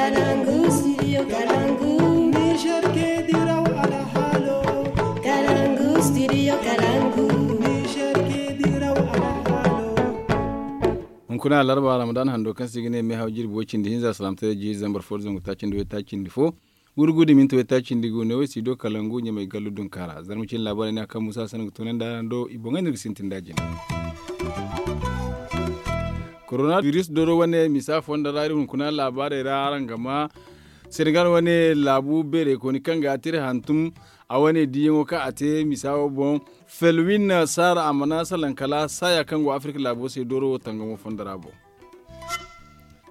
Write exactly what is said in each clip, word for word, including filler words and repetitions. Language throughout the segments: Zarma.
Kalangu studio kalangu. Niger ke diraw alhalo. Kalangu studio kalangu. Niger ke diraw alhalo. Hunkuna alarba ramadan hando kaŋ se i ga ne meehaw jirbi way cindi hinza salaamtaray jiiri zambar fo da zangu taaci nda way taaci nda fo. Gurgu da minti way taaci nda gu ne way si do kalangu ɲamay gallu dunkaara zarma cine laabaarey ne a kaŋ musa sanda ga tunandi araŋ do i boŋey no iri ga sintin da jina. Koronabiris dooro wane misa fondo ra iri hunkuna laabaarey ra araŋ ga ma senegal wane laabu beerey kooni kaŋ ga a te iri hantum a wane diiyaŋo kaŋ a te misa wo boŋ. Felwin saara a mana salaŋ kala saaya kaŋ go afirka laabo se dooro wo tangamo fondo ra boŋ.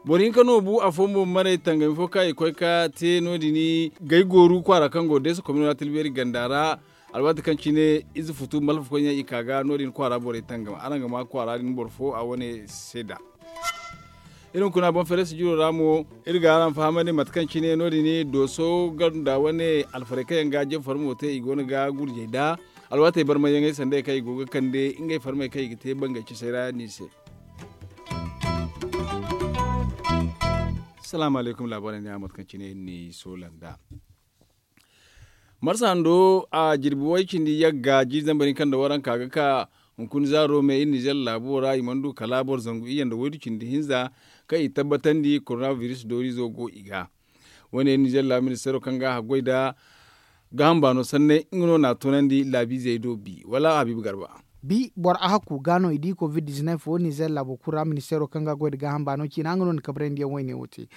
Boro hinka no bu afo mo maray tangami fo kaŋ i koy ka te no- din gay gooru kwaara kaŋ go deesa komino ra tilbeeri ganda ra. Alwaati kaŋ cine ize futu malfa koyne i ka ga no- din kwaara borey tangam araŋ ga ma kwaara din boro fo a wane seeda. Iri hunkuna boŋ fereesi jiro ra mo iri ga araŋ fahamandi mate kaŋ cine no- din dooso ganda wane alfarey kaŋ yaŋ ga jefar mo te i go no ga gurjey da alwaatey barmayyaŋey sanda kaŋ i go ga kande ngey farmey kaŋ i ga te bangey cisey ra ni se. Salaamu alaykum laabaarey ne a mate kaŋ cine iri n'i soola nd'a. Marsa hando a jirbi way cindi yagga jiiri zambar hinka nda waranka ga ka hunkuna zaaro me iri nizer laabo ra i mana du kala boro zangu iyye nda waydu cindi hinza kaŋ i tabbatandi koronabiris dooriizo go i ga. Wane iri nizer laabu ministeero kaŋ ga a haggoy nda gaaham baano sanney nga no n'a tunandi laabiizey do bi wala habiibu garba. Bi boro ahakku ga no i di covid dizinef wo nizer laabo kulu ra ministeero kaŋ ga a goy nda gaaham baano ciina nga no na kabrandi yaŋ wayne wo te.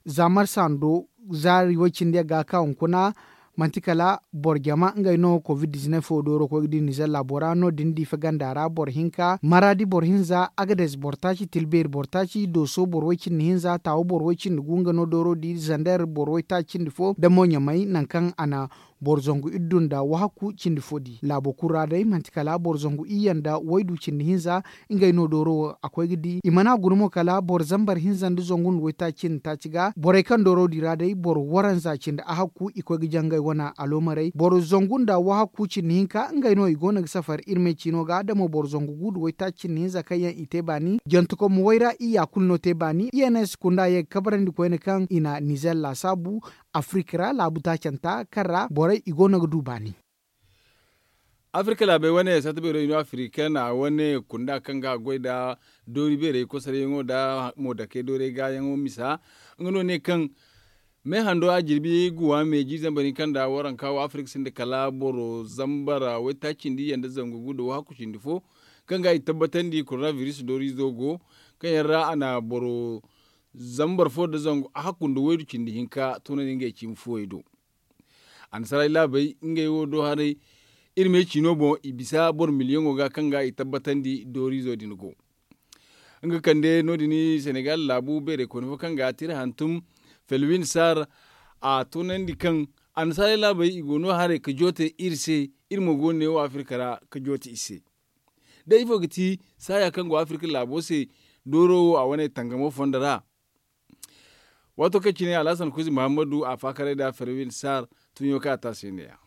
Za marsa hando zaari way cindi yagga ka hunkuna manti kala boro jama ngey no covid dizinef wo dooro koy ga di nizer laabo ra no- din diife ganda ra boro hinka maraadi boro hinza agades boro taaci tilbeeri boro taaci dooso boro way cindi hinza taawo boro way cindi gu nga no dooro di zander boro way taaci cindi fo nda mo ɲamay nangu kaŋ a na boro zangu iddu nda wahakku cindi fo di laabo kulu ra day manti kala boro zangu iyye nda waydu cindi hinza. Ngey no dooro wo a koy ga di i mana guna mo kala boro zambar hinza nda zangu nda waytaaci cindi taaci ga borey kaŋ dooro di ra day boro waranza cindi ahakku i koy ga jangay wane aloomarey boro zangu nda wahakku cindi hinka ngey no i go no ga safar iri me ciino ga da mo boro zangu gu nda waytaaci cindi hinza kaŋ yaŋ i te baani jantukom way ra iyya kulu no te baani iyye no ay si kunda ye ga kabrandi koyne kaŋ i na nizer laasaabu afirka ra laabu taacanta kaŋ ra borey i go no ga du baani. Afirka laabey wane sata beero ino afirka na wane kunda kaŋ ga a goy nda doori beerey kosaryaŋo nda moodakey doorey gaayaŋo misa nga no ne kaŋ me hando a jirbi guwa me jiiri zambar hinka nda waranka wo afirka sinda kala boro zambar waytaaci cindi iyye nda zangu gu nda wahakku cindi fo kaŋ ga i tabbatandi koronabiris dooriizo go kaŋ yaŋ ra a na boro zambar fo nda zangu ahakku nda waydu cindi hinka tunandi ngey cimi fuwey do. Annasaray laabey ngey wo do haray iri me ciino boŋ i bisa boro miliyaŋo ga kaŋ ga i tabbatandi dooriizo din go. Nga kande no- din senegal laabu beerey koyne fo kaŋ ga a te iri hantum felwin sar a tunandi kaŋ annasaray laabey i go no haray ga joote iri se iri mo go no ne wo afirka ra ga joote i se. Da ifo ga ti saaya kaŋ go afirka laabo se dooro wo a wane tangamo fondo ra. Waato kaŋ cine alhasan kuzi muhammadu a faakaray nda ferwin sar tuɲo kaŋ a te a se ne- ya.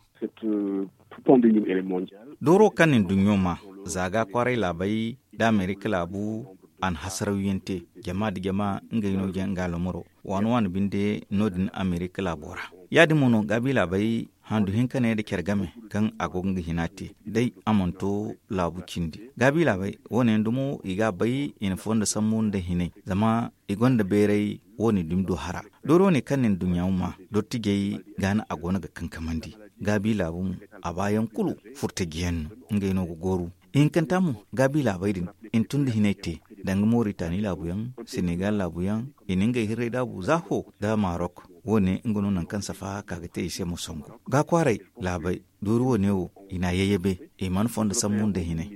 Dooro kaŋ na nduɲɲo ma za ga kwaaray laabey nda amerika laabu a na hasarawyaŋ te jama nda jama ngey no ga nga alomaro waani waani binde no- din amerika laabo ra. Ya- din mo no gaabi laabey handu hinka ne nda care game kaŋ a go ga nga hina te day a mana to laabu cindi gaabi laabey wo- ne yaŋ dumo i ga a bay i na fondo sambu nda hinay zama i gonda bayray wo- ne dumi du hara. Doori wo- ne kaŋ na nduɲɲa ma dottijey ga no a go no ga kankamandi gaabi laabu mo a baayaŋ kulu furtajiyaŋ no ngey no ga gooru. Ihinkanta mo gaabi laabey din i na tun da hinay te danga moritani laabuyaŋ senegal laabuyaŋ i na ngey hirray daabu za fo nda marok. Wo- ne nga no nangu kaŋ safa ka ga te i se ma songu ga kwaaray laabey doori wo- ne wo i na a yayyabe i mana fondo sambu nda hinay.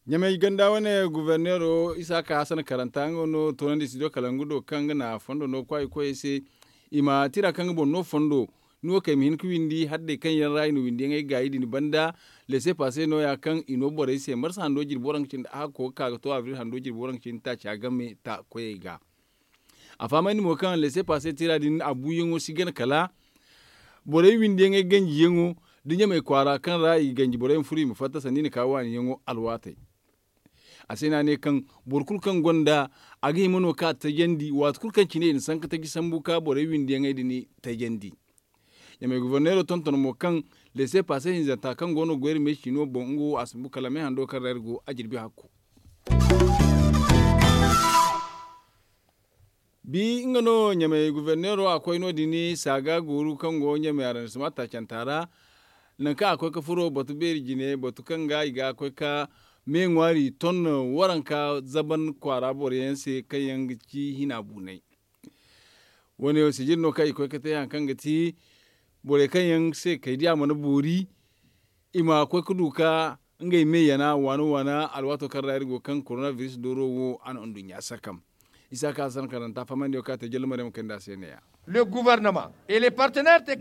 Ɲamay ganda wane guverneero isaaka hasan karanta nga no toonandi studio kalangu do kaŋ nga na fondo no kwaay koyey se i ma tira kaŋ nga boŋ no fondo. Ni wo kay ma hin ga windi haddey kaŋ yaŋ ra i na windiyaŋey gaayi din banda lese pase nooya kaŋ i no borey se marsa hando jirbi waranka cindi a hakko ga ka ga to abril hando jirbi waranka cindi taaca game ta koyey ga. A fahamandi mo kaŋ lese pase tira din a buuyaŋo si gana kala borey windiyaŋey ganjiyaŋo da ɲamey kwaara kaŋ ra i ga ganji borey ma furo i ma fatta sanda i na ka waaniyaŋo alwaatey. A se no a ne kaŋ boro kulu kaŋ gonda a ga hima no ka tajandi waati kulu kaŋ cine i na sanka taji sambu ka borey windiyaŋey din tajandi. Ɲamey goforneero tonton mo kaŋ leese paase hinzanta kaŋ go no goyri meesi no boŋ nga wo a sumbu kala me hando kaŋ ra iri go a jirbi hakku. Bi nga no ɲamey goforneero a koy no- din saaga gooru kaŋ go ɲamey araŋ sima taacanta ra. Nangu kaŋ a koy ga furo batu beeri jine batu kaŋ ga i ga koy ga me ŋwaari ton waranka zaban kwaara boro yaŋ se kaŋ yaŋ ga ci hina buunay. Wo- ne wo sijir no kaŋ i koy ga te hari kaŋ ga ti borey kaŋ yaŋ se kay di a mana boori i ma koy ga du ga ngey me yana waana waana alwaato kaŋ ra iri go ga kaŋ korona biris dooro wo a na nduɲɲa sakam. Isa ka sankaranta fahamandiyaŋ kaŋ a te jalla maryaŋ kayndi a se ne- ya.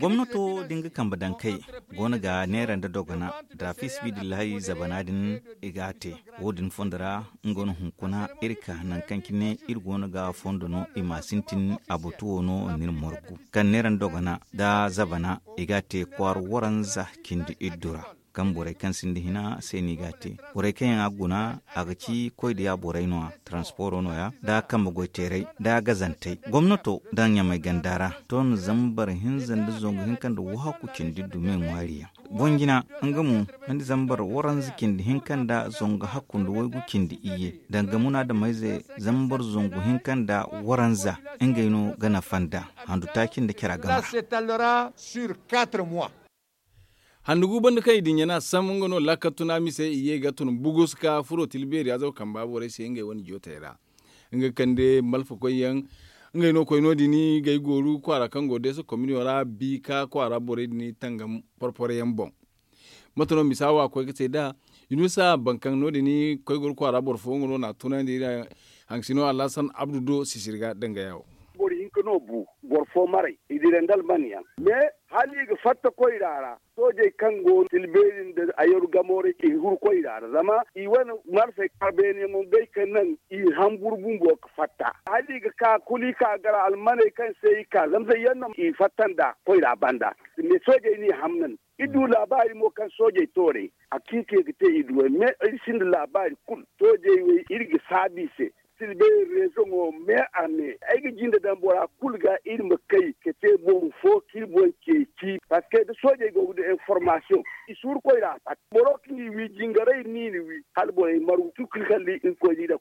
Gomnato da nga kambe dankey go no ga neera nda dogona da fi sibidillahi zabana din i ga a te. Wo- din fondo ra nga no hunkuna iri ka nangu kaŋ cine iri go no ga fondo no i ma sintin a batu wo no nda iri morgu kaŋ neera nda dogona da zabana i ga a te kwaara waranza cindi iddu ra. Kaŋ borey kaŋ sinda hina se no i ga a te. Borey kaŋ yaŋ a guna a ga ci koy da ya borey no- ya, taransiporo no- ya, da kambe goyteeray da gazantey. Gomnato daŋ ɲamey ganda ra toona zambar hinza nda zangu hinka nda wahakku cindi iddu me ŋwaari yaŋ. Boŋ jina nga mo, nga nda zambar waranza cindi hinka nda zangu hakku nda waygu cindi iyye danga munaadamayze zambar zangu hinka nda waranza. Ngey no ga nafa nd'a handu taaci nda cara game ra. Handu gu banda kaŋ i dinya no a sam nga no laakal tuna mise i ye ga tun bugus ka furo tila beeri azaw kamba borey se ngey wane jootey ra. Nga ga kande malfakoy yaŋ ngey no koy no- din gay gooru kwaara kaŋ go deesa kominiyo ra bi ka kwaara borey din tangam porporo yaŋ boŋ. Mate no misa wo a koy ga te nd'a yunusa bankaŋ no- din koy gooru kwaara boro fo nga no na a tunandi iri haŋ sino alhasan abdu do sisiri ga danga yawo. Boro hinka no bu boro fo maray i dira nda alman yaŋ. Me hala i ga fatta koyra ra soojey kaŋ go no tila beeri nda ayaru gamo ra i huru koyra ra zama i wane marsey kabeeniyaŋo ngey ka naŋ i hamburu bumbo ga fatta hala i ga ka kulu i ka gara almaney kaŋ se i ka zama se yaŋ no i fatta nda koyra banda. Me soojey n'i hamnan i du laabaari mo kaŋ soojey tooray a kiikey ga te i duwey me iri sinda laabaari kulu soojey wey iri ga saabu i se. Silbey rezoŋo me a me ay ga jinde daŋ bora kulu ga iri ma kay ka te boŋ fo k'iri boŋ ceeci parceque da soojey go ga du information i suuru koyra a fatta boro kaŋ i wi jingaray ni ni wi hala borey margu tukul kalli irkoy ni da.